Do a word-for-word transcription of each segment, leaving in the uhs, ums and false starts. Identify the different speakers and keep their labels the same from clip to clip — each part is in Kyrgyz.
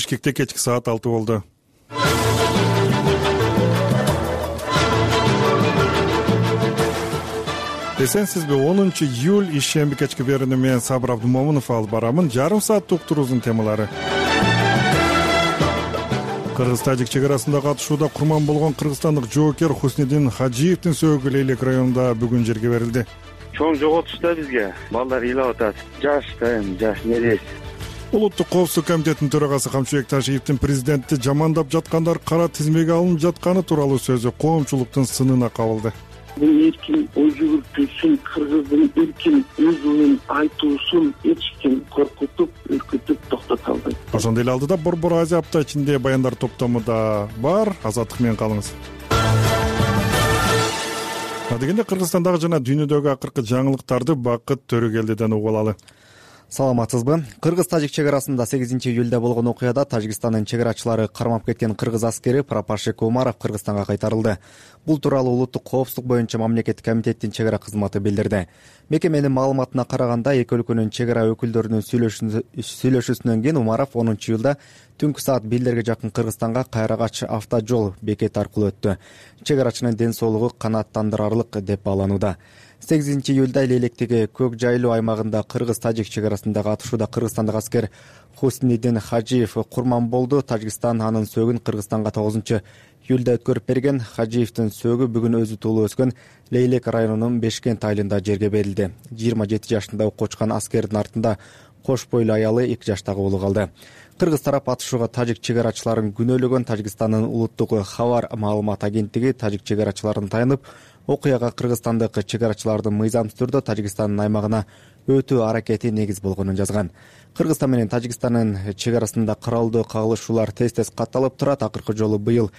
Speaker 1: Бишкекте кечки саат алты болду. Эсенсизби? онунчу июль ишемби кечки берүүнү мен Сабыр Абдумомунов алып барамын. Жарым сааттык уктуруубуздун темалары. Кыргыз-Тажик чек арасында катышууда курман болгон кыргызстандык жоокер Хуснидин Хажиевдин сөөгү Лейлек районунда бүгүн жерге берилди.
Speaker 2: Чоң жоготуш да бизге. Балдар ыйлап атат. Жаш да эми, жаш нерес.
Speaker 1: Улуттук коопсуздук комитетинин төрагасы Камчыбек Ташиевдин президентти жамандап жаткандар кара тизмеге алынып жатканы тууралуу сөзү коомчулуктун сынына кабылды.
Speaker 3: Бул эркин ой жүгүртүүсүн, кыргыздын эркин өз оюн айтуусун эч ким коркутуп, үркүтүп токтото албайт.
Speaker 1: Ошондой эле алдыда Борбор Азия апта ичинде баяндар топтому да бар. Азаттык менен калыңыз. Адегенде Кыргызстандагы жана дүйнөдөгү акыркы жаңылыктарды Бакыт Төрөгелдиден угуп алалы.
Speaker 4: Саламатсызбы? Кыргыз-Тажик чек арасында сегизинчи июлда болгон окуяда Тажикстандын чек арачылары кармап кеткен кыргыз аскери Пропашек Умаров Кыргызстанга кайтарылды. Бул тууралуу Улуттук коопсуздук боюнча мамлекеттик комитеттин чек ара кызматы билдирди. Мекеменин маалыматына караганда, эки өлкөнүн чек ара өкүлдөрүнүн сүйлөшүүсүнөн кийин Умаров онунчу июлда түнкү саат бирдерге жакын Кыргызстанга Кайрагач автожол бекети аркылуу өттү. Чек арачынын ден соолугу канааттандырарлык деп бааланууда. сегизинчи июлда Лейлектеги Көк Жайлуу аймагында Кыргыз-Тажик чек арасында катышууда кыргызстандык аскер Хуснидин Хажиев курман болду. Тажикстан анын сөөгүн Кыргызстанга тогузунчу июлда өткөрүп берген. Хажиевдин сөөгү бүгүн өзү туулуп өскөн Лейлек районунун Бешкент айылында жерге берилди. жыйырма жети жашында окко чыккан аскердин артында кош бойлуу аялы эки жаштагы уулу калды. Кыргыз тарап атышууга тажик чек арачыларын күнөөлөгөн. Тажикстандын улуттук хабар маалымат агенттиги тажик чек арачыларын таянып, окуяга кыргызстандык чек арачылардын мыйзамсыз түрдө Тажикстандын аймагына өтүү аракети негиз болгонун жазган. Кыргызстан менен Тажикстандын чек арасында кыралдуу кагылышуулар тез-тез катталып турат. Акыркы жолу быйыл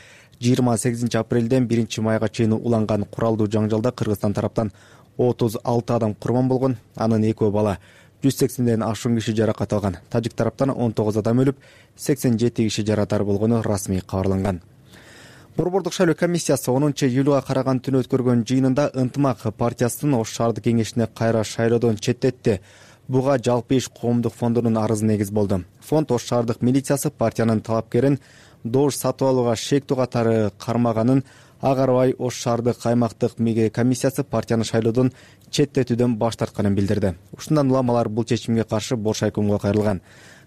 Speaker 4: жыйырма сегизинчи апрелден биринчи майга чейин уланган куралдуу жаңжалда Кыргызстан тараптан отуз алты адам курман болгон. Анын экөө бала. жүз сексенден ашуун киши жаракат алган. Тажик тараптан он тогуз адам өлүп, сексен жети киши жаратар болгону расмий кабарланган. Борбордук шайлоо комиссиясы онунчу июлга караган түнү өткөргөн жыйынында Ынтымак партиясынын Ош шаардык кеңешине кайра шайлоодон четтетти. Буга Жалпы иш коомдук фондунун арызы негиз болду. Фонд Ош шаардык милициясы партиянын талапкерин добуш сатып алууга шектүү катары кармаганын ага карабай Ош шаардык аймактык комиссиясы партияны шайлоодон четтетүүдөн баш тартканын билдирди. Ушундан улам алар бул чечимге каршы бош айкомго кайрылган.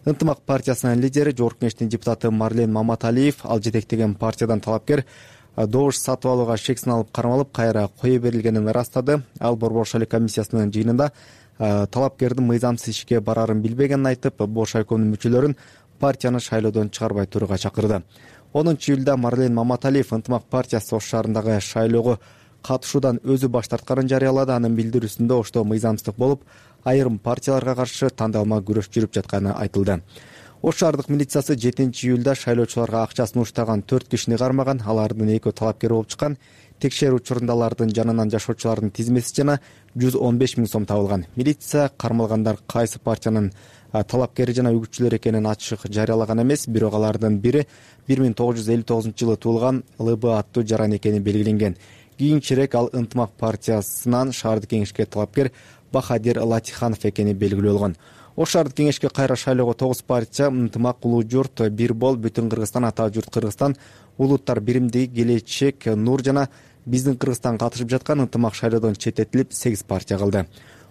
Speaker 4: Ынтымак партиясынын лидери Жогорку кеңештин депутаты Марлен Маматалиев ал жетектеген партиядан талапкер добуш сатып алууга шексин алып кармалып, кайра кое берилгенин ырастады. Ал Борбор шайлоо комиссиясынын жыйынында талапкердин мыйзамсыз ишке барарын билбегенин айтып, бош айкомдун мүчөлөрүн партияны шайлоодон чыгарбай турууга чакырды. онунчу июлда Марлен Маматалиев Ынтымак партиясы Ош шаарындагы шайлоого катышуудан өзү баш тартканын жарыялады. Анын билдирүүсүндө ошто мыйзамсыздык болуп, айрым партияларга каршы тандалма күрөш жүрүп жатканы айтылды. Ош шаардык милициясы жетинчи июлда шайлоочуларга акча сунуштаган төрт кишини кармаган. Алардын экөө талапкер болуп чыккан. Текшерүү учурунда алардын жанынан жашоочулардын тизмеси жана жүз он беш миң сом табылган. Милиция кармалгандар кайсы партиянын талапкери жана үгүтчүлөр экенин ачык жарыялаган эмес, бирок алардын бири бир миң тогуз жүз элүү тогузунчу жылы туулган ЛБ аттуу жаран экени белгиленген. Кийинчерээк ал Ынтымак партиясынан шаардык кеңешке талапкер Бахадир Латиханов экени белгилүү болгон. Ош шаардык кеңешке кайра шайлоого тогуз партия Ынтымак, Улуу журт, Бир бол, Бүтүн Кыргызстан, Ата журт Кыргызстан, Улуттар биримдиги, Келечек, Нур жана Биздин Кыргызстан катышып жаткан. Ынтымак шайлоодон четтетилип, сегиз партия калды.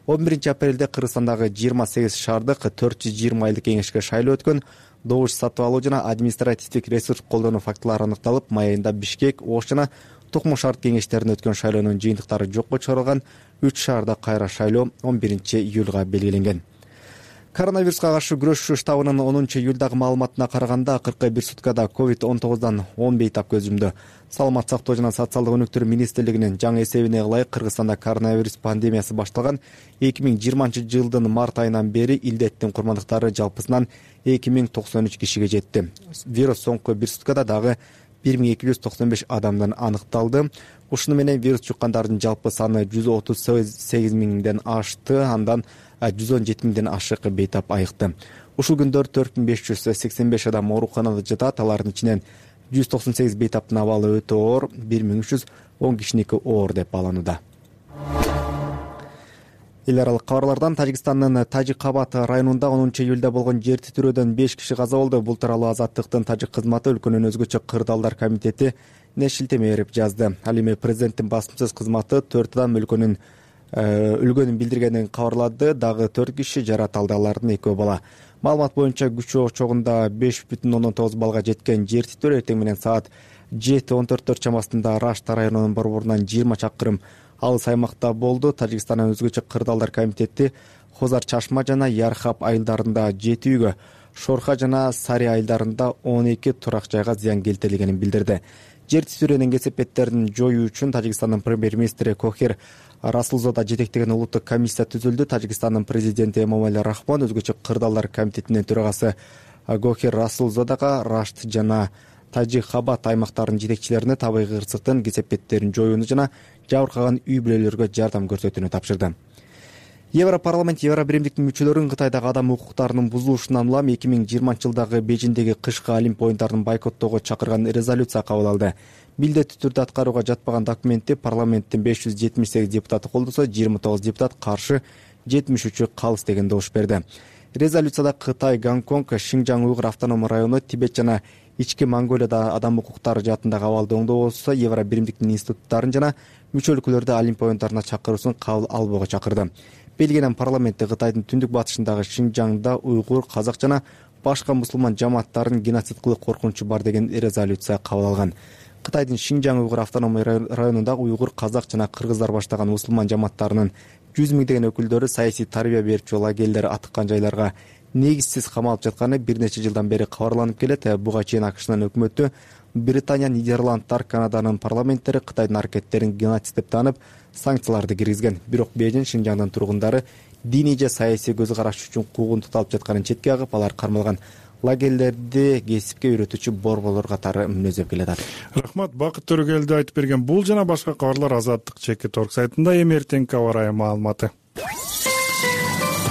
Speaker 4: он биринчи апрелде Кыргызстандагы жыйырма сегиз шаардык төрт жүз жыйырма айлык кеңешке шайлоо өткөн. Добуш сатып алуу жана административдик ресурс колдонуу фактылары аныкталып, май айында Бишкек, Ош жана Токмо шаард кеңештерине өткөн шайлоонун жыйынтыктары жокко чыгарылган. Үч шаарда кайра шайлоо он биринчи июлга белгиленген. Коронавируска каршы күрөшүү штабынын онунчу июлдагы маалыматына караганда, акыркы бир суткада ковид он тогуздан он бейтап көз жумду. Саламат сактоо жана социалдык өнүктүрүү министрлигинин жаңы эсебине ылайык, Кыргызстанда коронавирус пандемиясы башталган эки миң жыйырманчы жылдын март айынан бери илдеттин курмандыктары жалпысынан эки миң токсон үч кишиге жетти. Вирус соңку бир суткада дагы бир миң эки жүз токсон беш адамдан аныкталды. Ушуну менен вирус жуккандардын жалпы саны жүз отуз сегиз миңден ашты, андан жүз он жети миңден ашык бейтап айыкты. Ушул күндөр төрт миң беш жүз сексен беш адам ооруканада жатат. Алардын ичинен жүз токсон сегиз бейтаптын абалы өтө оор, бир миң үч жүз он кишиники оор деп бааланууда. эл аралык кабарлардан Тажикстандын Тажик-Кабат районунда онунчу июлда болгон жер титирөөдөн беш киши каза болду. Бул тууралуу Азаттыктын тажик кызматы өлкөнүн өзгөчө кырдаалдар комитети не шилтеме берип жазды. Ал эми президенттин басымсыз кызматы төрт адам өлкөнүн өлгөнүн билдиргенин кабарлады. Дагы төрт киши жарат алды, алардын экөө бала. Маалымат боюнча күчү чогунда беш бүтүн ондон тогуз балга жеткен жер титирөө эртең менен саат жети он төрттөр чамасында Рашта районунун борборунан жыйырма чакырым алыс аймакта болду. Тажикстандын өзгөчө кырдаалдар комитети Хозар Чашма жана Ярхап айылдарында жети үйгө, Шорха жана Сари айылдарында он эки турак жайга зыян келтирилгенин билдирди. Жер титирөөнүн кесепеттерин жоюу үчүн Тажикстандын премьер-министри Кохир Расулзода жетектеген улуттук комиссия түзүлдү. Тажикстандын президенти Эмомали Рахмон өзгөчө кырдаалдар комитетинин төрагасы Гохир Расулзодага Рашт жана Тажик-Кабат аймактарынын жетекчилерине табигый кырсыктын кесепеттерин жоюуну жана жабыркаган үй бүлөлөргө жардам көрсөтүүнү тапшырды. Европарламент Евробиримдиктин мүчөлөрүн Кытайдагы адам укуктарынын бузулушунан улам эки миң жыйырманчы жылдагы Бейжиңдеги кышкы Олимп оюндарын бойкоттоого чакырган резолюция кабыл алды. Милдеттүү түрдө аткарууга жатпаган документти парламенттин беш жүз жетимиш сегиз депутаты колдосо, жыйырма тогуз депутат каршы, жетимиш үчү калыс деген добуш берди. Резолюцияда Кытай, Гонконг, Шинжаң уйгур автономдук району, Тибет жана Ички Монголияда адам укуктары жаатындагы абалды оңдоосо Евробиримдиктин институттарын жана мүчө өлкөлөрдө Олимп оюндарына чакыруусун кабыл албоого чакырды. Белгиянын парламенти Кытайдын түндүк батышындагы Шинжаңда уйгур, казак жана башка мусулман жамааттарын геноцид кылуу коркунучу бар деген резолюция кабыл алган. Кытайдын Шинжаң уйгур автономдук районундагы уйгур, казак жана кыргыздар баштаган мусулман жамааттарынын жүз миңдеген өкүлдөрү саясий тарбия берчү лагерлер аткан жайларга негизсиз камалып жатканы бир нече жылдан бери кабарланып келет. Буга чейин АКШнын өкмөтү, Британия, Нидерландтар, Канаданын парламенттери Кытайдын аракеттерин геноцид деп таанып, санкцияларды киргизген. Бирок Бейжиң Шинжаңдын тургундары диний же саясий көз караш үчүн куугунтук алып жатканын четке агып, алар кармалган лагерлерди кесипке үйрөтүүчү борборлор катары мүнөздөп келатат.
Speaker 1: Рахмат, Бакыт Төрөгелди айтып берген бул жана башка кабарлар Азаттык чекит орг сайтында. Эми эртеңки аба ырайы маалыматы.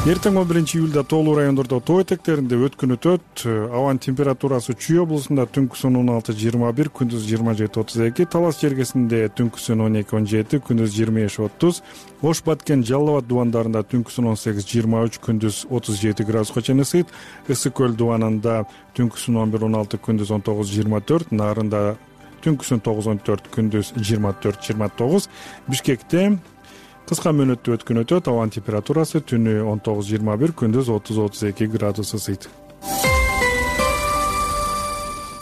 Speaker 1: Эртең он биринчи июлда тоолуу райондордо тоо этектеринде өткүн өтөт. Абанын температурасы Чүй облусунда түнкүсүн он алты жыйырма бир, күндүз жыйырма жети отуз эки, Талас жергесинде түнкүсүн он эки он жети, күндүз жыйырма беш отуз, Ош Баткен, Жалал Абад дубандарында түнкүсүн он сегиз жыйырма үч, күндүз отуз жети градуска чейин ысыйт. Ысык көл дубанында түнкүсүн он бир он алты, күндүз он тогуз жыйырма төрт, Нарында түнкүсүн тогуз он төрт, күндүз жыйырма төрт жыйырма тогуз, Бишкекте кыска мөөнөттүү өткүн өтөт. Абанын температурасы түнү он тогуз жыйырма бир, күндүз отуз отуз эки градус ысыйт.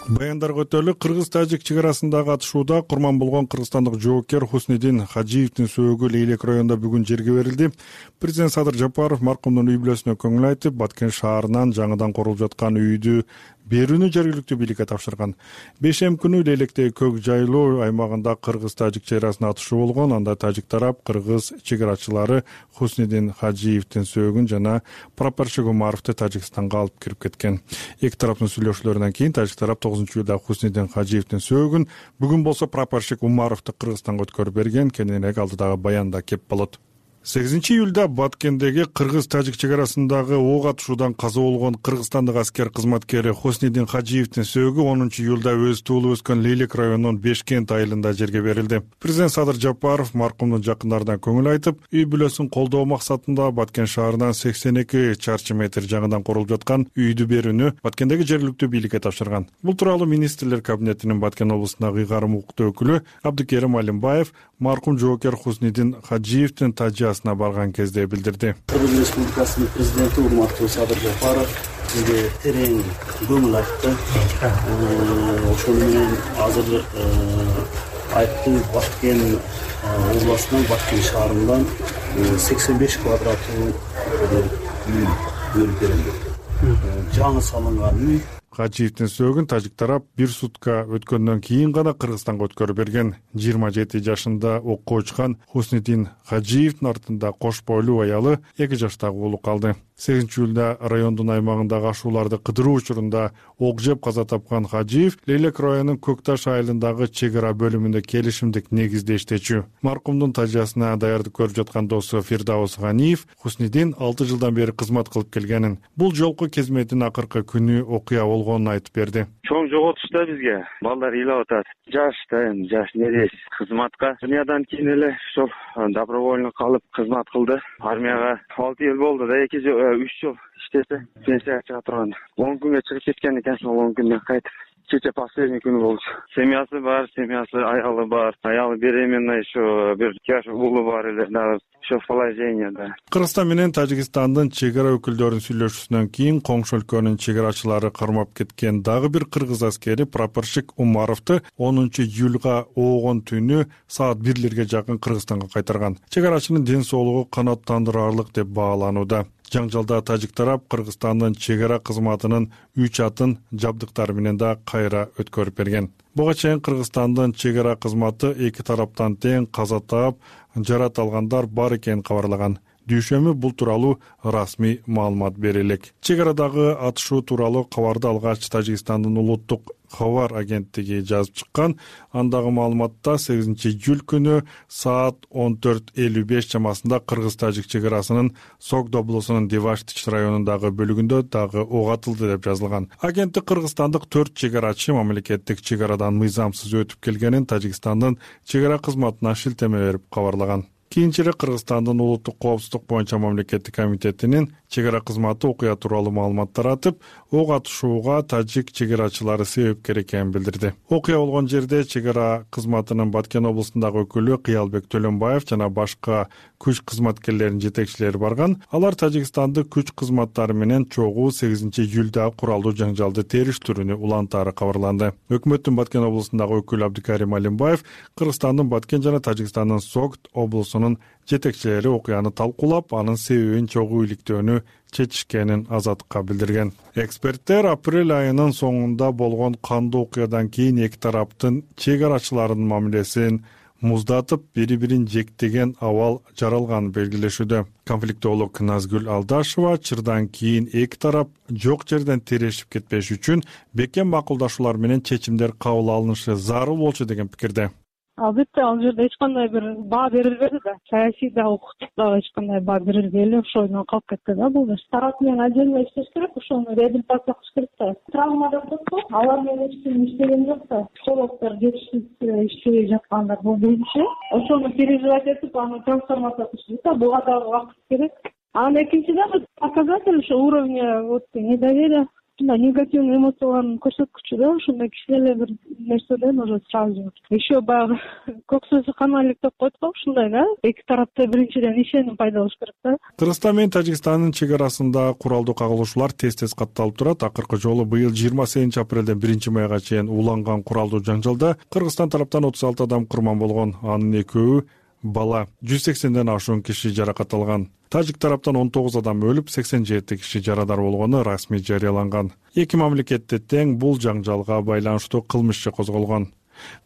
Speaker 1: Баяндарга өтөлү. Кыргыз-Тажик чек арасындагы атышууда курман болгон кыргызстандык жоокер Хуснидин Хаджиевдин сөөгү Лейлек районунда бүгүн жерге берилди. Президент Садыр Жапаров маркумдун үй бүлөсүнө көңүл айтып, Баткен шаарынан жаңыдан курулуп жаткан үйдү берүүнү жергиликтүү бийликке тапшырган. Бешем күнү Лейлектеги көк жайлоо аймагында кыргыз-тажик чек арасында атышуу болгон. Анда тажик тарап кыргыз чек арачылары Хуснидин Хаджиевдин сөөгүн жана прапорщик Умаровду Тажикстанга алып кирип кеткен. Эки тараптын сүйлөшүүлөрүнөн кийин тажик тарап тогузунчу июлда Хуснидин Хаджиевдин сөөгүн, бүгүн болсо прапорщик Умаровду Кыргызстанга өткөрүп берген. Кененирээк алдыдагы баянда кеп болот. сегизинчи июлда Баткендеги кыргыз-тажик чек арасындагы ок атышуудан каза болгон кыргызстандык аскер кызматкери Хуснидин Хаджиевдин сөөгү онунчу июлда өзү туулуп өскөн Лейлек районунун Бешкент айылында жерге берилди. Президент Садыр Жапаров маркумдун жакындарына көңүл айтып, үй бүлөсүн колдоо максатында Баткен шаарынан сексен эки чарчы метр жаңыдан курулуп жаткан үйдү берүүнү Баткендеги жергиликтүү бийликке тапшырган. Бул тууралуу министрлер кабинетинин Баткен облусундагы ыйгарым укуктуу өкүлү Абдыкерим Алимбаев маркум жоокер Хуснидин Хаджиевдин тажиясына барган кезде билдирди.
Speaker 5: Кыргыз Республикасынын президенти урматтуу Садыр Жапаров бизге терең көңүл айтты. Ошол менен азыр айтты, Баткен областынан, Баткен шаарынан сексен беш квадраттуу үй бөлүп берилди. Жаңы салынган үй.
Speaker 1: Хаджиевдин сөөгүн тажик тарап бир сутка өткөндөн кийин гана Кыргызстанга өткөрүп берген. жыйырма жети жашында окко учкан Хуснидин Хаджиевдин артында кош бойлуу аялы эки жаштагы уулу калды. сегизинчи июлда райондун аймагындагы ашууларды кыдыруу учурунда ок жеп каза тапкан Хаджиев Лейлек районунун Көк Таш айылындагы чек ара бөлүмүндө келишимдик негизде иштечү. Маркумдун тажиясына даярдык көрүп жаткан досу Фирдаус Ганиев Хуснидин алты жылдан бери кызмат кылып келгенин, бул жолку кезметин акыркы күнү окуя болгонун айтып берди.
Speaker 2: чоң жоготуш да бизге. Балдар ыйлап атат. Жаш да эми жаш нерес кызматка. Дүйнөдөн кийин эле ошол добровольно калып кызмат кылды. Армияга алты жыл болду да, эки жыл, үч жыл иштесе пенсияга чыга турган. он күнгө чыгып кеткен экен, ошол он күндөн кайтып кече последний күнү болчу. Семьясы бар, семьясы аялы бар. Аялы беременна еще, бир жаш уулу бар эле, дагы ошо положенияда.
Speaker 1: Кыргызстан менен Тажикстандын чек ара өкүлдөрүнүн сүйлөшүүсүнөн кийин коңшу өлкөнүн чек арачылары кармап кеткен дагы бир кыргыз аскери прапорщик Умаровду онунчу июлга оогон түнү саат бирлерге жакын Кыргызстанга кайтарган. Чек арачынын ден соолугу канааттандырарлык деп бааланууда. Жаңжалда тажик тарап Кыргызстандын чек ара кызматынын үч атын жабдыктары менен да кайра өткөрүп берген. Буга чейин Кыргызстандын чек ара кызматы эки тараптан тең каза таап, жарат алгандар бар экенин кабарлаган. Дүйшөмбү бул тууралуу расмий маалымат берилек. Чек арадагы атышуу тууралуу кабарды алгач Тажикстандын улуттук кабар агенттиги жазып чыккан. Андагы маалыматта сегизинчи июль күнү саат он төрт элүү беш чамасында кыргыз-тажик чек арасынын Согд облусунун Деваштич районундагы бөлүгүндө дагы ок атылды деп жазылган. Агенттик кыргызстандык төрт чек арачы мамлекеттик чек арадан мыйзамсыз өтүп келгенин Тажикстандын чек ара кызматына шилтеме берип кабарлаган. Кийинчерээк Кыргызстандын улуттук коопсуздук боюнча мамлекеттик комитетинин чек ара кызматы окуя тууралуу маалымат таратып, ок атышууга тажик чек арачылары себепкер экенин билдирди. Окуя болгон жерде чек ара кызматынын Баткен облусундагы өкүлү Кыялбек Төлөнбаев жана башка күч кызматкерлеринин жетекчилери барган. Алар Тажикстандык күч кызматтары менен чогуу сегизинчи июлда куралдуу жаңжалды териштирүүнү улантаары кабарланды. Өкмөттүн Баткен облусундагы өкүлү Абдикарим Алимбаев Кыргызстандын Баткен жана Тажикстандын Согд облусунун жетекчилери окуяны талкуулап, анын себебин чогуу иликтөөнү чечишкенин Азаттыкка билдирген. Эксперттер апрель айынын соңунда болгон кандуу окуядан кийин эки тараптын чек арачыларынын мамилесин муздатып, бири-бирин жектеген абал жаралганын белгилешүүдө. Конфликтолог Назгүл Алдашева чырдан кийин эки тарап жок жерден терешип кетпеш үчүн бекем макулдашуулар менен чечимдер кабыл алынышы зарыл болчу деген пикирде.
Speaker 6: Албетте, ал жерде эч кандай бир баа берилбеди да, саясий да, укуктук да эч кандай баа берилбей ошол менен калып кетти да бул. Тарап менен отдельно иштеш керек, ошону реабилитация кылыш керек да. Травмада болсо, алар менен эч ким иштеген жок да. Психологдор жетишсиз иштебей жаткандар бул менимче. Ошону переживать этип, аны трансформация кылыш керек да, буга дагы убакыт керек. Анан экинчиден показатель ошо уровня вот недоверия, негативный эмоциялардын көрсөткүчү да, ошондой кичине бир нерседен уже сразу. Еще баягы көк сөзү каналик деп коет го, ушундай да. Эки тарапта биринчиден ишеним пайда болуш керек да.
Speaker 1: Кыргызстан менен Тажикстандын чек арасында куралдуу кагылышуулар тез-тез катталып турат. Акыркы жолу быйыл жыйырма сегизинчи апрелден биринчи майга чейин уланган куралдуу жаңжалда Кыргызстан тараптан отуз алты адам курман болгон, анын экөөү бала. жүз сексенден ашуун киши жаракат алган. Тажик тараптан он тогуз адам өлүп, сексен жети киши жарадар болгону расмий жарыяланган. Эки мамлекетте тең бул жаңжалга байланыштуу кылмыш иши козголгон.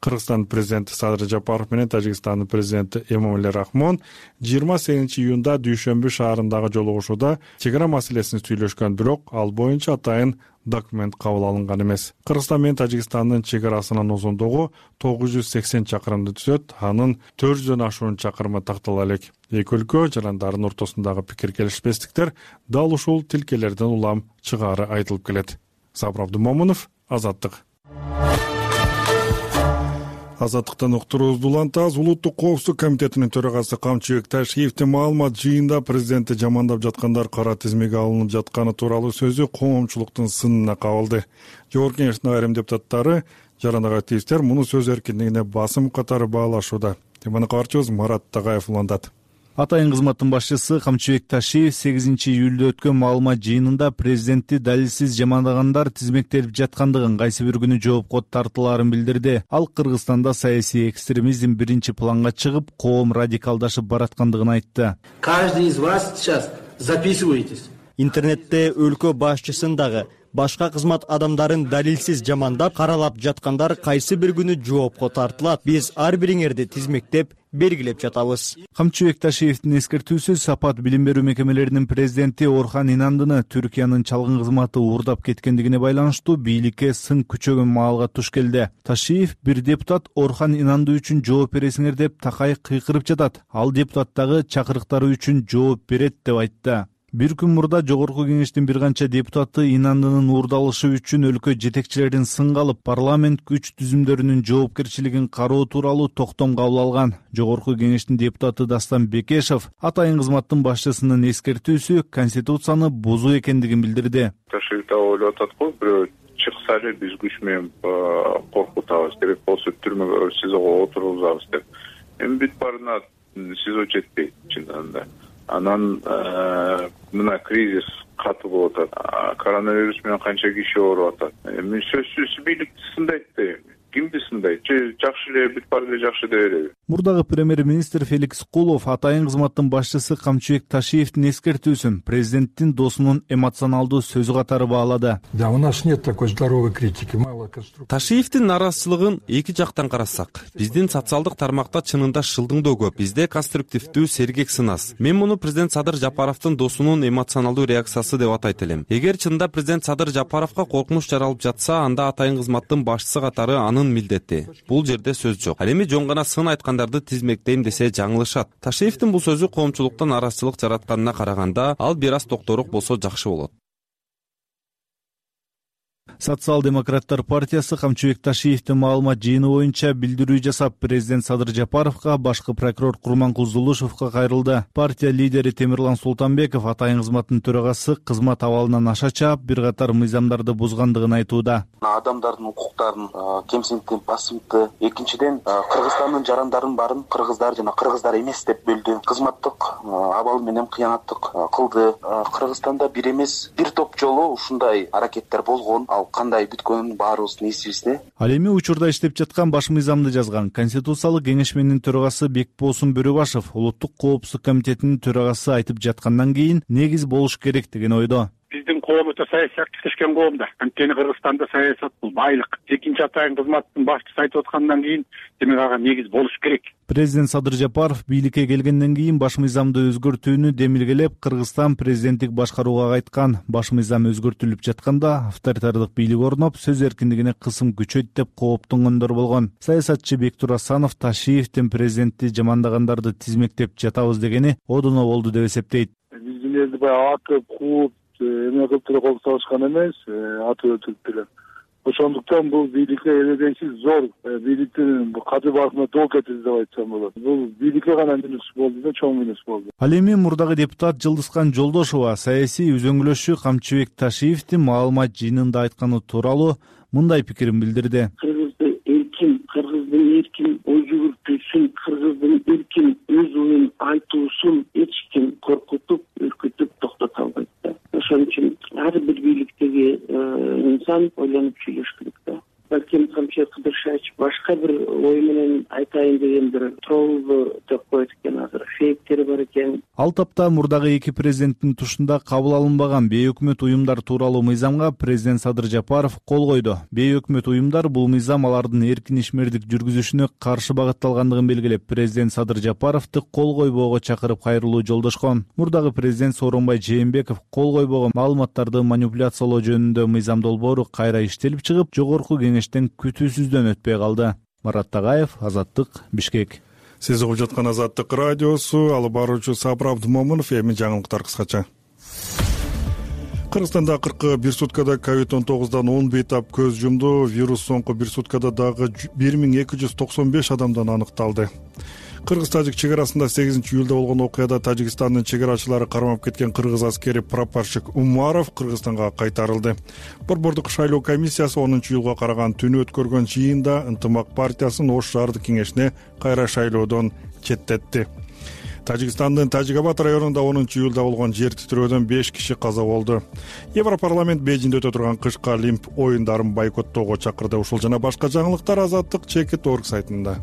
Speaker 1: Кыргызстан президенти Садыр Жапаров менен Тажикстандын президенти Эмомали Рахмон жыйырма сегизинчи июнда Дүйшөмбү шаарындагы жолугушууда чек ара маселесин сүйлөшкөн, бирок ал боюнча атайын документ кабыл алынган эмес. Кыргызстан менен Тажикстандын чек арасынын узундугу тогуз жүз сексен чакырымды түзөт, анын төрт жүздөн ашуун чакырымы тактала элек. Эки өлкө жарандардын ортосундагы пикир келишпестиктер дал ушул тилкелерден улам чыгаары айтылып келет. Сабыр Абдумомунов, Азаттык. Азаттыктан уктуруубузду улантабыз. Улуттук коопсуздук комитетинин төрагасы Камчыбек Ташиевдин маалымат жыйында президентти жамандап жаткандар кара тизмеге алынып жатканы тууралуу сөзү коомчулуктун сынына кабылды. Жогорку Кеңештин айрым депутаттары, жарандык активисттер муну сөз эркиндигине басым катары баалашууда. Теманы кабарчыбыз Марат Тагаев улантат.
Speaker 7: Атайын кызматтын башчысы Камчыбек Ташиев сегизинчи июлда өткөн маалымат жыйынында президентти далилсиз жамандагандар тизмектелип жаткандыгын, кайсы бир күнү жоопко тартылаарын билдирди. Ал Кыргызстанда саясий экстремизм биринчи планга чыгып, коом радикалдашып бараткандыгын айтты.
Speaker 8: Каждый из вас сейчас записываетесь.
Speaker 9: Интернетте өлкө башчысын дагы, башка кызмат адамдарын далилсиз жамандап, каралап жаткандар кайсы бир күнү жоопко тартылат. Биз ар бириңерди тизмектеп, белгилеп жатабыз.
Speaker 7: Камчыбек Ташиевдин эскертүүсү Сапат билим берүү мекемелеринин президенти Орхан Инандыны Түркиянын чалгын кызматы уурдап кеткендигине байланыштуу бийликке сын күчөгөн маалга туш келди. Ташиев бир депутат Орхан Инанды үчүн жооп бересиңер деп такай кыйкырып жатат. Ал депутаттагы чакырыктары үчүн жооп берет деп айтты. Бир күн мурда Жогорку Кеңештин бир канча депутаты инандынын уурдалышы үчүн өлкө жетекчилерин сынга алып, парламент күч түзүмдөрүнүн жоопкерчилигин кароо тууралуу токтом кабыл алган. Жогорку Кеңештин депутаты Дастан Бекешев атайын кызматтын башчысынын эскертүүсү Конституцияны бузуу экендигин билдирди.
Speaker 10: Ташиев да ойлоп атат го, бирөө чыкса эле биз күч менен коркутабыз, керек болсо түрмөгө, СИЗОго отургузабыз деп. Эми бүт барына СИЗО жетпейт чындыгында да. Анан мына кризис катуу болуп атат. Коронавирус менен канча киши ооруп атат. Эми сөзсүз бийликти сындайт да эми. Кимди сындайт? Же жакшы эле бүт баары эле жакшы дей береби?
Speaker 7: Мурдагы премьер-министр Феликс Кулов атайын кызматтын башчысы Камчыбек Ташиевдин эскертүүсүн президенттин досунун эмоционалдуу сөзү катары баалады.
Speaker 11: Да, у нас нет такой здоровой критики, мало конструктивной.
Speaker 12: Ташиевдин наразычылыгын эки жактан карасак, биздин социалдык тармакта чынында шылдыңдоо көп, бизде конструктивдүү сергек сынас. Мен муну президент Садыр Жапаровдун досунун эмоционалдуу реакциясы деп атайт элем. Эгер чынында президент Садыр Жапаровго коркунуч жаралып жатса, анда атайын кызматтын башчысы катары анын милдети. Бул жерде сөз жок. Ал эми жон гана сын айткандарды тизмектейм десе жаңылышат. Ташиевдин бул сөзү коомчулуктан наразычылык жаратканына караганда, ал бир аз токтороок болсо жакшы болот.
Speaker 7: Социал-демократтар партиясы Камчыбек Ташиевдин маалымат жыйыны боюнча билдирүү жасап, президент Садыр Жапаровго, башкы прокурор Курманкул Зулушевго кайрылды. Партия лидери Темирлан Султанбеков атайын кызматтын төрагасы кызмат абалынан аша чаап, бир катар мыйзамдарды бузгандыгын айтууда.
Speaker 13: Адамдардын укуктарын кемсинтти, басымтты. Экинчиден, Кыргызстандын жарандарын барын кыргыздар жана кыргыздар эмес деп бөлдү. Кызматтык абал менен кыянаттык кылды. Кыргызстанда бир эмес, бир топ жолу ушундай аракеттер болгон. Ал кандай бүткөнүн баарыбыздын эсибизде.
Speaker 7: Ал эми учурда иштеп жаткан баш мыйзамды жазган Конституциялык кеңешменин төрагасы Бекболсун Бөрөбашев Улуттук коопсуздук комитетинин төрагасы айтып жаткандан кийин негиз болуш керек деген ойдо.
Speaker 14: Биздин коом өтө саясий активдешкен коом да. Анткени Кыргызстанда саясат бул байлык. Экинчи атайын кызматтын башчысы айтып аткандан кийин демек ага негиз болуш керек.
Speaker 7: Президент Садыр Жапаров бийликке келгенден кийин баш мыйзамды өзгөртүүнү демилгелеп, Кыргызстан президенттик башкарууга кайткан. Баш мыйзам өзгөртүлүп жатканда авторитардык бийлик орноп, сөз эркиндигине кысым күчөйт деп кооптонгондор болгон. Саясатчы Бектур Асанов Ташиевдин президентти жамандагандарды тизмектеп жатабыз дегени одуно болду деп эсептейт.
Speaker 14: Биздин элди баягы атып, кууп, эме кылып деле кол салышкан эмес, атып өтүп деле. Ошондуктан бул бийликке эледенсиз зор бийликтин каты басына доо кетти деп айтсам болот. Бул бийликке гана минус болду да, чоң минус болду.
Speaker 7: Ал эми мурдагы депутат Жылдызкан Жолдошова саясий үзөңгүлөшчү Камчыбек Ташиевдин маалымат жыйынында айтканы тууралуу мындай пикирин билдирди.
Speaker 3: Кыргызды эркин, кыргыздын эркин ой жүгүртүүсүн, кыргыздын эркин өз оюн айтуусун эч ким коркутуп, үркүтүп токтото албайт да. Ошон үчүн ар бир бийликтеги инсан ойлонуп сүйлөш керек да. Балким Камчыбек Кыдыршевич башка бир ой менен айтайын деген бир троллду деп коет экен, азыр фейктери бар экен.
Speaker 7: Ал тапта мурдагы эки президенттин тушунда кабыл алынбаган бейөкмөт уюмдар тууралуу мыйзамга президент Садыр Жапаров кол койду. Бейөкмөт уюмдар бул мыйзам алардын эркин ишмердик жүргүзүшүнө каршы багытталгандыгын белгилеп, президент Садыр Жапаровду кол койбоого чакырып кайрылуу жолдошкон. Мурдагы президент Сооронбай Жээнбеков кол койбогон маалыматтарды манипуляциялоо жөнүндө мыйзам долбоору кайра иштелип чыгып, жогорку кеңештен күтүүсүздөн өтпөй калды. Марат Тагаев, Азаттык, Бишкек.
Speaker 1: Сиз угуп жаткан Азаттык радиосу, алып баруучу Сабыр Абдымомунов. Эми жаңылыктар кыскача. Кыргызстанда акыркы бир суткада ковид он тогуздан он бейтап көз жумду. Вирус соңку бир суткада дагы бир миң эки жүз токсон беш адамдан аныкталды. Кыргыз-тажик чек арасында сегизинчи июлда болгон окуяда Тажикстандын чек-арачылары кармап кеткен кыргыз аскери прапорщик Умаров Кыргызстанга кайтарылды. Борбордук шайлоо комиссиясы онунчу июлга караган түнү өткөргөн жыйында Ынтымак партиясын Ош шаардык кеңешине кайра шайлоодон четтетти. Тажикстандын Тажикабад районунда онунчу июлда болгон жер титирөөдөн беш киши каза болду. Европарламент Бейжиңде өтө турган кышкы Олимп оюндарын бойкоттоого чакырды. Ушул жана башка жаңылыктар Азаттык чекит точка орг сайтында.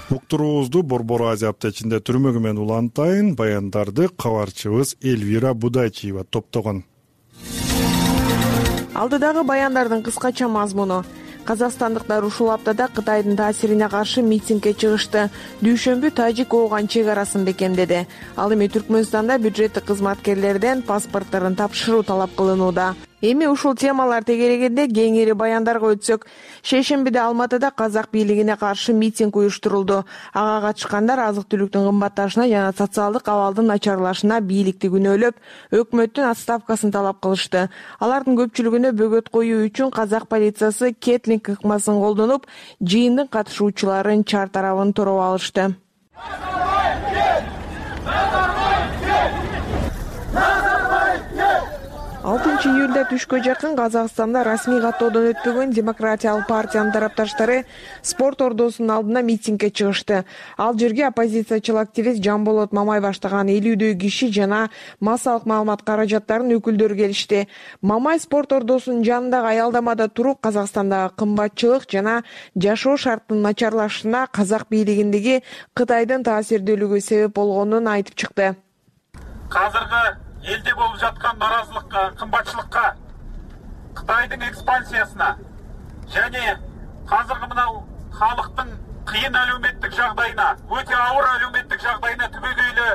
Speaker 1: Уктуруубузду Борбор Азия аптечинде түрмөгү менен улантайын, баяндарды кабарчыбыз Эльвира Будайчиева топтогон.
Speaker 15: Алдыдагы баяндардын кыскача мазмуну. Казакстандыктар ушул аптада Кытайдын таасирине каршы митингге чыгышты. Дүйшөмбү тажик ооган чек арасын бекемдеди. Ал эми Түркмөнстанда бюджеттик кызматкерлерден паспортторун тапшыруу талап кылынууда. Эми ушул темалар тегерегенде кеңири баяндарга өтсөк, шейшембиде Алматыда казак бийлигине каршы митинг уюштурулду. Ага катышкандар азык-түлүктүн кымбатташына жана социалдык абалдын начарлашына бийликти күнөөлөп, өкмөттүн отставкасын талап кылышты. Алардын көпчүлүгүнө бөгөт коюу үчүн казак полициясы кетлинг ыкмасын колдонуп, жыйындын катышуучуларын чар тарабын тороп алышты. алтынчы июлда түшкө жакын Казакстанда расмий каттоодон өтпөгөн Демократиялык партиянын тарапташтары спорт ордосунун алдына митингге чыгышты. Ал жерге оппозициячыл активист Жамболот Мамай баштаган элүүдөй киши жана массалык маалымат каражаттарынын өкүлдөрү келишти. Мамай спорт ордосунун жанындагы аялдамада туруп, Казакстандагы кымбатчылык жана жашоо шарттын начарлашына казак бийлигиндеги Кытайдын таасирдүүлүгү себеп болгонун айтып чыкты.
Speaker 16: Азыркы элде болуп жаткан наразылыкка, кымбатчылыкка, Кытайдын экспансиясына және азыркы мына халыктын кыйын әлеуметтик жагдайына, өтө ауыр әлеуметтик жагдайына түбөгөйлү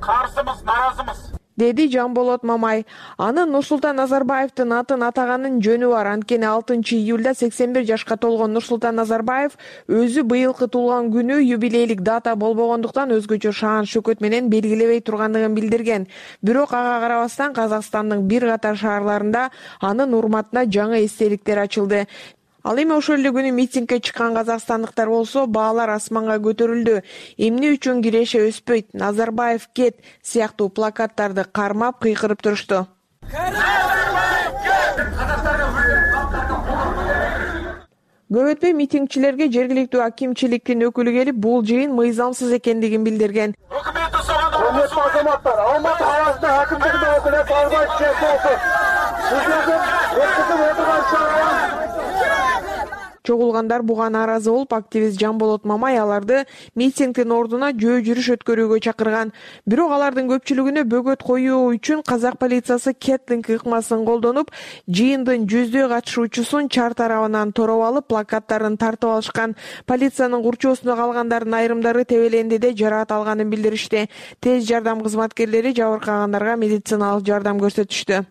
Speaker 16: карсымыз, наразымыз,
Speaker 15: деди Жамболот Мамай. Аны Нурсултан Назарбаевдин атын атаганын жөнү бар. Анткени алтынчы июлда сексен бир жашка толгон Нурсултан Назарбаев өзү быйылкы туулган күнү юбилейлик дата болбогондуктан өзгөчө шаан шөкөт менен белгилебей тургандыгын билдирген. Бирок ага карабастан Казакстандын бир катар шаарларында анын урматына жаңы эстеликтер ачылды. Ал эми ошол эле күнү митингге чыккан казакстандыктар болсо баалар асманга көтөрүлдү. Эмне үчүн киреше өспөйт, Назарбаев кет сыяктуу плакаттарды кармап кыйкырып турушту. Көп өтпөй митингчилерге жергиликтүү акимчиликтин өкүлү келип, бул жыйын мыйзамсыз экендигин билдирген.
Speaker 14: Урматтуу азаматтар, Алматы қаласында акимчиликтин өкүлү Албай Чеков. Сиздердин өткүзүп отурган шаар
Speaker 15: Чогулгандар буга нааразы болуп, активист Жамболот Мамай аларды митингдин ордуна жөө жүрүш өткөрүүгө чакырган. Бирок алардын көпчүлүгүнө бөгөт коюу үчүн казак полициясы кетлинг ыкмасын колдонуп, жыйындын жүздөй катышуучусун чар тарабынан тороп алып, плакаттарын тартып алышкан. Полициянын курчоосунда калгандардын айрымдары тебелендиде жараат алганын билдиришти. Тез жардам кызматкерлери жабыркагандарга медициналык жардам көрсөтүштү.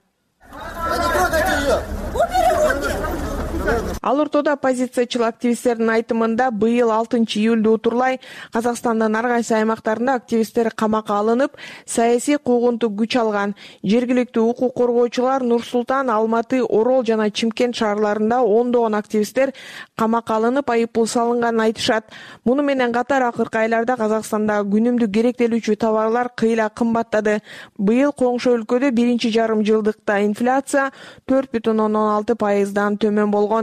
Speaker 15: Ал ортодо оппозициячыл активисттердин айтымында быйыл алтынчы июлду утурлай Казакстандын ар кайсы аймактарында активисттер камакка алынып, саясий куугунтук күч алган. Жергиликтүү укук коргоочулар Нур-Султан, Алматы, Орол жана Чимкент шаарларында ондогон активисттер камакка алынып, айыппул салынганын айтышат. Муну менен катар акыркы айларда Казакстанда күнүмдүк керектелүүчү товарлар кыйла кымбаттады. Быйыл коңшу өлкөдө биринчи жарым жылдыкта инфляция төрт бүтүн ондон алты пайыздан төмөн болгон.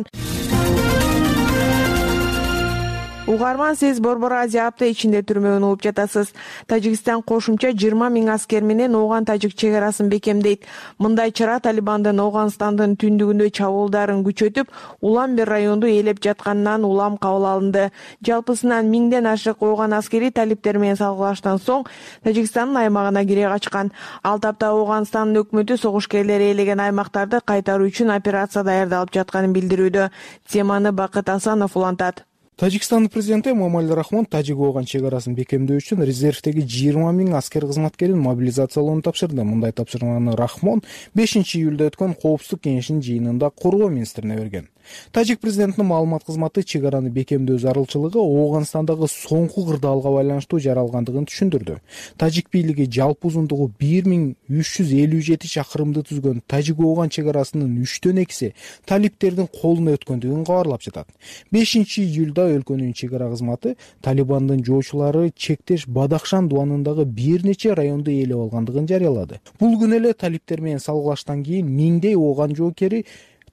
Speaker 15: Угарман, сиз Борбор Азия апта ичинде түрмөгөн угуп жатасыз. Тажикстан кошумча жыйырма миң аскер менен Ооган-Тажик чек арасын бекемдейт. Мындай чара Талибандын Ооганстандын түндүгүндө чабуулдарын күчөтүп, Улам-Бер районду ээлеп жатканынан улам кабыл алынды. Жалпысынан миңден ашык Ооган аскери талиптер менен салгылаштан соң Тажикстандын аймагына кире качкан. Ал тапта Ооганстандын өкмөтү согуш-кээрлер ээлеген аймактарды кайтаруу үчүн операция даярдалып жатканын билдирүүдө. Теманы Бакыт Асанов улантат.
Speaker 17: Тажикстандын президенти Эмомали Рахмон Тажик-Ооган чек арасын бекемдөө үчүн резервдеги жыйырма миң аскер кызматкерин мобилизациялоону тапшырды. Мындай тапшырманы Рахмон бешинчи июлда өткөн Коопсуздук кеңешинин жыйынында коргоо министрине берген. Тажик президентинин маалымат кызматы чек араны бекемдөө зарылчылыгы Ооганстандагы соңку кырдаалга байланыштуу жаралгандыгын түшүндүрдү. Тажик бийлиги жалпы узундугу бир миң үч жүз элүү жети чакырымды түзгөн Тажик-Ооган чек арасынын үчтөн экиси талиптердин колуна өткөндүгүн кабарлап жатат. бешинчи июлда өлкөнүн чек ара кызматы Талибандын жоочулары чектеш Бадахшан дубанындагы бир нече районду ээлеп алгандыгын жарыялады. Бул күнү эле талипдер менен салгылаштан кийин миңдей Ооган жоокери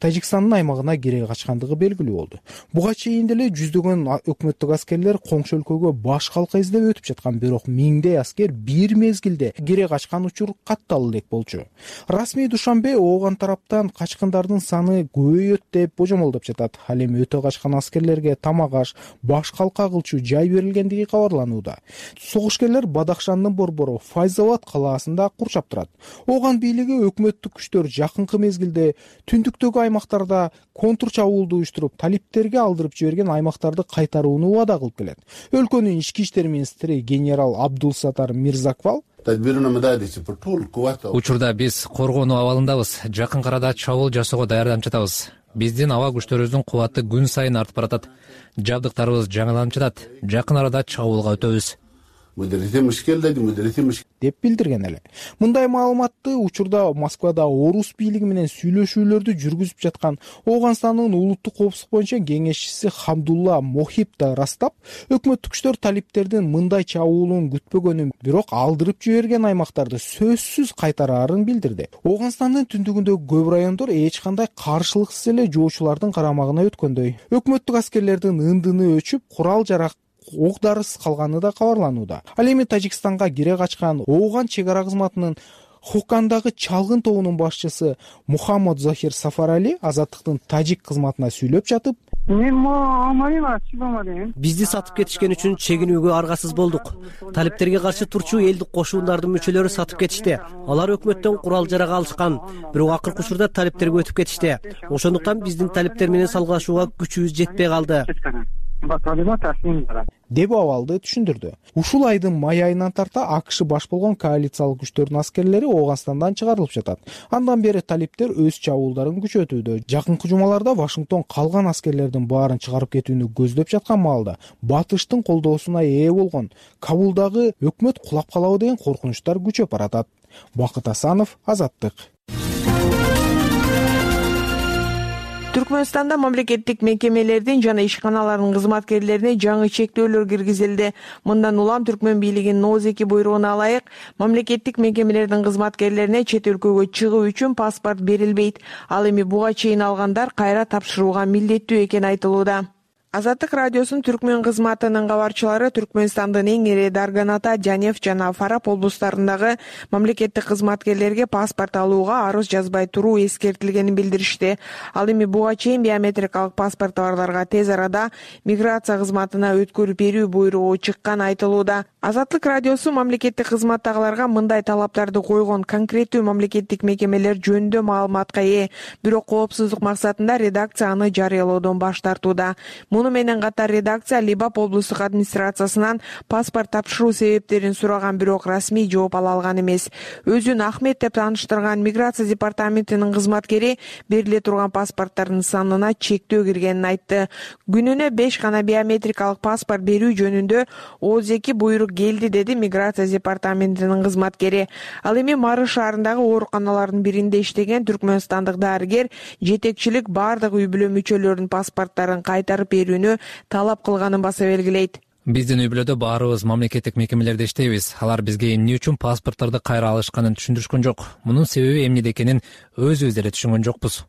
Speaker 17: Тажикстандын аймагына кире качкандыгы белгилүү болду. Буга чейин деле жүздөгөн өкмөттүк аскерлер коңшу өлкөгө баш калка издеп өтүп жаткан, бирок миңдей аскер бир мезгилде кире качкан учур катталуу элек болчу. Расмий Душанбе Ооган тараптан качкындардын саны көбөйөт деп божомолдоп жатат. Ал эми өтө качкан аскерлерге тамак аш, баш калка кылчу жай берилгендиги кабарланууда. Согушкерлер Бадахшандын борбору Файзабад калаасында курчап турат. Ооган бийлиги өкмөттүк күчтөр жакынкы мезгилде түндүктөгү аймактарда контур чабуулду уюштуруп, талиптерге алдырып жиберген аймактарды кайтарууну убада кылып келет. Өлкөнүн ички иштер министри генерал Абдулсатар Мирзаквал
Speaker 18: учурда биз коргонуу абалындабыз. Жакын арада чабуул жасоого даярданып жатабыз. Биздин аба күчтөрүбүздүн кубаты күн сайын артып баратат. Жабдыктарыбыз жаңыланып жатат. Жакын арада чабуулга өтөбүз
Speaker 17: деп билдирген эле. Мындай маалыматты учурда Москвада орус бийлиги менен сүйлөшүүлөрдү жүргүзүп жаткан Ооганстандын улуттук коопсуздук боюнча кеңешчиси Хамдулла Мохиб да ырастап, өкмөттүк күчтөр талиптердин мындай чабуулун күтпөгөнүн, бирок алдырып жиберген аймактарды сөзсүз кайтараарын билдирди. Ооганстандын түндүгүндөгү көп райондор эч кандай каршылыксыз эле жоочулардын карамагына өткөндөй. Өкмөттүк аскерлердин ындыны өчүп, курал жарак ок дарысыз калганы да кабарланууда. Ал эми Тажикстанга кире качкан Ооган чек ара кызматынын Хокандагы чалгын тобунун башчысы Мухаммад Захир Сафарали Азаттыктын тажик кызматына сүйлөп жатып,
Speaker 19: бизди сатып кетишкен үчүн чегинүүгө аргасыз болдук. Талиптерге каршы турчу элдик кошуундардын мүчөлөрү сатып кетишти. Алар өкмөттөн курал жарак алышкан, бирок акыркы учурда талиптерге өтүп кетишти. Ошондуктан биздин талиптер менен салгылашууга күчүбүз жетпей калды
Speaker 17: деп абалды түшүндүрдү. Ушул айдын май айынан тарта АКШ баш болгон коалициялык күчтөрдүн аскерлери Ооганстандан чыгарылып жатат. Андан бери талиптер өз чабуулдарын күчөтүүдө. Жакынкы жумаларда Вашингтон калган аскерлердин баарын чыгарып кетүүнү көздөп жаткан маалда Батыштын колдоосуна ээ болгон Кабулдагы өкмөт кулап калабы деген коркунучтар күчөп баратат. Бакыт Асанов, Азаттык.
Speaker 15: Түркмөнстанда мамлекеттик мекемелердин жана ишканалардын кызматкерлерине жаңы чектөөлөр киргизилди. Мындан улам Түркмөн бийлигинин ноль эки буйругуна ылайык мамлекеттик мекемелердин кызматкерлерине чет өлкөгө чыгуу үчүн паспорт берилбейт. Ал эми буга чейин алгандар кайра тапшырууга милдеттүү экени айтылууда. Азаттык радиосунун Түркмөн кызматынын кабарчылары Түркмөнстандын эң ири Дарганата, Жанев жана Фарап облустарындагы мамлекеттик кызматкерлерге паспорт алууга арыз жазбай туруу эскертилгенин билдиришти. Ал эми буга чейин биометрикалык паспорт барларга тез арада миграция кызматына өткөрүп берүү буйругу чыкканы айтылууда. Азаттык радиосу мамлекеттик кызматтагыларга мындай талаптарды койгон конкреттүү мамлекеттик мекемелер жөнүндө маалыматка ээ, бирок коопсуздук максатында редакция аны жарыялоодон баш тартууда. Муну менен катар редакция Либап облустук администрациясынан паспорт тапшыруу себептерин сураган, бирок расмий жооп ала алган эмес. Өзүн Ахмет деп тааныштырган миграция департаментинин кызматкери бериле турган паспорттардын санына чектөө киргенин айтты. Күнүнө беш гана биометрикалык паспорт берүү жөнүндө отуз эки буйрук келди, деди миграция департаментинин кызматкери. Ал эми Марыш шаарындагы ооруканалардын биринде иштеген түркмөнстандык дарыгер жетекчилик бардык үй бүлө мүчөлөрүнүн паспорттарын кайтарып берүүнү талап кылганын баса белгилейт.
Speaker 18: Биздин үй бүлөдө баарыбыз мамлекеттик мекемелерде иштейбиз. Алар бизге эмне үчүн паспорттарды кайра алышканын түшүндүрүшкөн жок. Мунун себеби эмнеде экенин өзүбүз деле түшүнгөн жокпуз,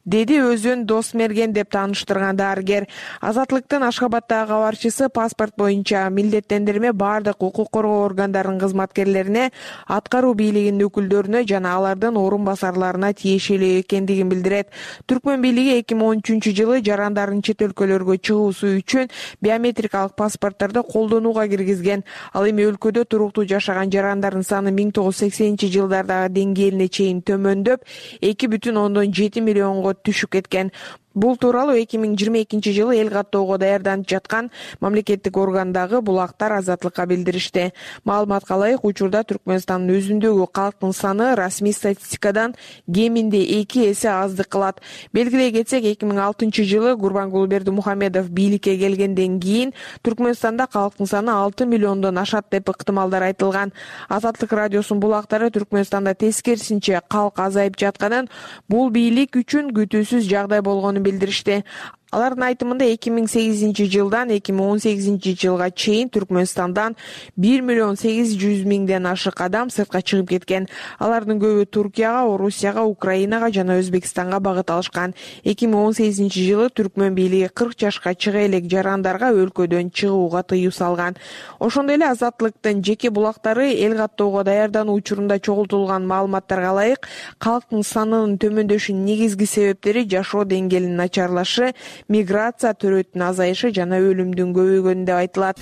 Speaker 15: деди өзүн Досмерген деп тааныштырган дарыгер. Азаттыктын Ашхабадтагы кабарчысы паспорт боюнча милдеттендирме бардык укук коргоо органдарынын кызматкерлерине, аткаруу бийлигинин өкүлдөрүнө жана алардын орун басарларына тиешелүү экендигин билдирет. Түркмөн бийлиги эки миң он үчүнчү жылы жарандардын чет өлкөлөргө чыгуусу үчүн биометрикалык паспорттарды колдонууга киргизген. Ал эми өлкөдө туруктуу жашаган жарандардын саны миң тогуз жүз сексенинчи жылдардагы деңгээлине чейин төмөндөп, эки бүтүн ондон жети миллионго түшүп кеткен. Бул тууралуу эки миң жыйырма экинчи жылы эл каттоого даярданып жаткан мамлекеттик органдагы булактар Азаттыкка билдиришти. Маалыматка ылайык, учурда Түркмөнстандын өзүндөгү калктын саны расмий статистикадан кеминде эки эсе аздык кылат. Белгилей кетсек, эки миң алтынчы жылы Гурбангулы Бердимухамедов бийликке келгенден кийин Түркмөнстанда калктын саны алты миллиондон ашат деп ыктымалдар айтылган. Азаттык радиосунун булактары Түркмөнстанда тескерисинче калк азайып жатканын, бул бийлик үчүн күтүүсүз жагдай болгонун билдиришти. Алардын айтымында эки миң сегизинчи жылдан эки миң он сегизинчи жылга чейин Түркмөнстандан бир миллион сегиз жүз миңден ашык адам сыртка чыгып кеткен. Алардын көбү Туркияга, Орусияга, Украинага жана Өзбекстанга багыт алышкан. эки миң он сегизинчи жылы Түркмөн бийлиги кырк жашка чыга элек жарандарга өлкөдөн чыгууга тыюу салган. Ошондой эле Азаттыктын жеке булактары эл каттоого даярдануу учурунда чогултулган маалыматтарга ылайык, калктын санынын төмөндөшүнүн негизги себептери жашоо деңгээлинин начарлашы, миграция төрөтүнүн азайышы жана өлүмдүн көбөйгөнү деп айтылат.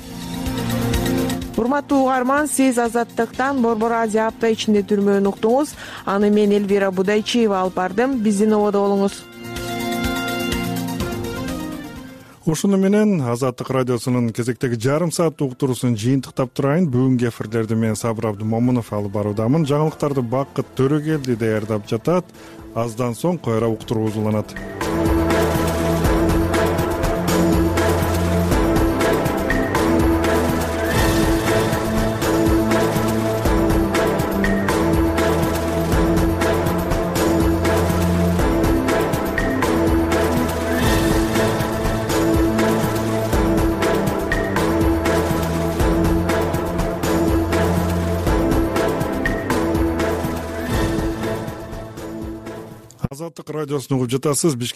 Speaker 15: Урматтуу угарман, сиз Азаттыктан Борбор Азия апта ичинде түрмөнү уктуңуз. Аны мен Элвира Будайчиева алып бардым. Биздин ободо болуңуз.
Speaker 1: ушуну менен Азаттык радиосунун кезектеги жарым сааттык уктуруусун жыйынтыктап турайын. Бүгүнкү эфирлерди мен Сабыр Абдымомунов алып баруудамын. Жаңылыктарды Бакыт Төрөгелди даярдап жатат. Аздан соң кайра уктуруу уланат. Азаттык радиосун угуп жатасыз.